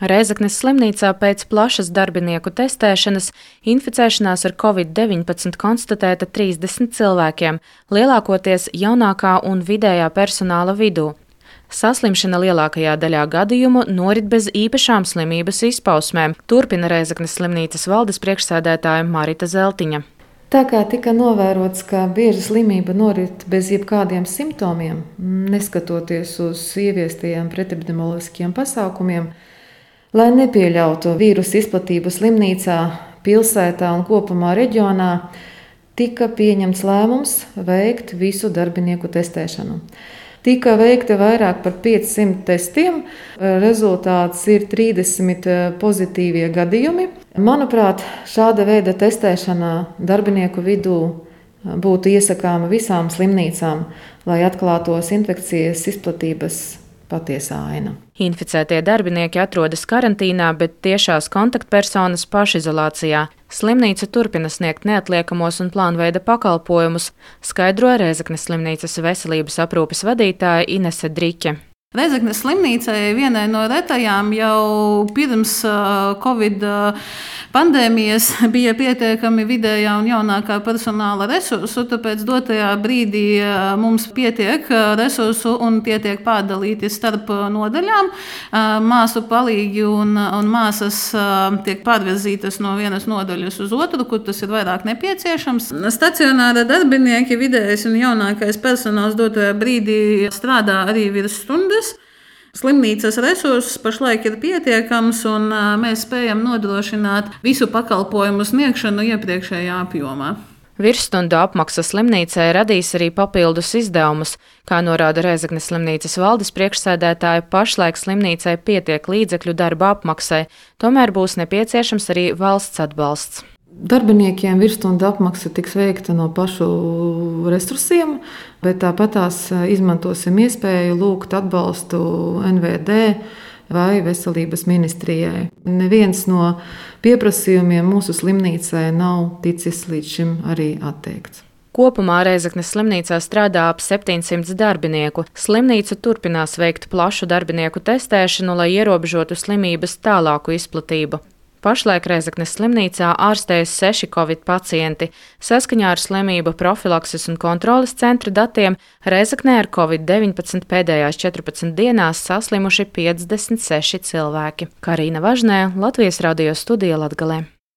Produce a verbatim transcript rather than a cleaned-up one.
Rēzeknes slimnīcā pēc plašas darbinieku testēšanas inficēšanās ar covid deviņpadsmit konstatēta trīsdesmit cilvēkiem, lielākoties jaunākā un vidējā personāla vidū. Saslimšana lielākajā daļā gadījumu norit bez īpašām slimības izpausmēm, turpina Rēzeknes slimnīcas valdes priekšsēdētāja Marita Zeltiņa. Tā kā tika novērots, ka bieži slimība norit bez jebkādiem simptomiem, neskatoties uz ieviestajiem pretepidemioloģiskiem pasākumiem, lai nepieļautu vīrusu izplatību slimnīcā, pilsētā un kopumā reģionā, tika pieņemts lēmums veikt visu darbinieku testēšanu. Tika veikta vairāk par piecsimt testiem, rezultāts ir trīsdesmit pozitīvie gadījumi. Manuprāt, šāda veida testēšana darbinieku vidū būtu iesakāma visām slimnīcām, lai atklātos infekcijas izplatības patiesā aina. Inficētie darbinieki atrodas karantīnā, bet tiešās kontaktpersonas pašizolācijā. Slimnīca turpina sniegt neatliekamos un plānveida pakalpojumus, skaidro Rēzeknes slimnīcas veselības aprūpes vadītāja Inese Driķe. Rēzeknes slimnīcai vienai no retajām jau pirms Covid pandēmijas bija pietiekami vidējā un jaunākā personāla resursu, tāpēc dotajā brīdī mums pietiek resursu un tie tiek pārdalīti starp nodaļām. Māsu palīgi un, un māsas tiek pārvirzītas no vienas nodaļas uz otru, kur tas ir vairāk nepieciešams. Stacionāra darbinieki, vidējais un jaunākais personāls dotajā brīdī strādā arī virs stundas. Slimnīcas resurss pašlaik ir pietiekams, un mēs spējam nodrošināt visu pakalpojumu sniegšanu iepriekšējā apjomā. Virsstundu apmaksa slimnīcai radīs arī papildus izdevumus. Kā norāda Rēzeknes slimnīcas valdes priekšsēdētāja, pašlaik slimnīcai pietiek līdzekļu darba apmaksai, tomēr būs nepieciešams arī valsts atbalsts. Darbiniekiem virsstundu apmaksa tiks veikta no pašu resursiem, bet tāpat tās izmantosim iespēju lūgt atbalstu N V D vai Veselības ministrijai. Neviens no pieprasījumiem mūsu slimnīcai nav ticis līdz šim arī atteikts. Kopumā Rēzeknes slimnīcā strādā ap septiņsimt darbinieku. Slimnīca turpinās veikt plašu darbinieku testēšanu, lai ierobežotu slimības tālāku izplatību. Pašlaik Rēzeknes slimnīcā ārstējas seši covid pacienti. Saskaņā ar slimību profilakses un kontroles centra datiem Rēzeknē ar covid deviņpadsmit pēdējās četrpadsmit dienās saslimuši piecdesmit seši cilvēki. Karīna Važnē, Latvijas radio studija Latgalē.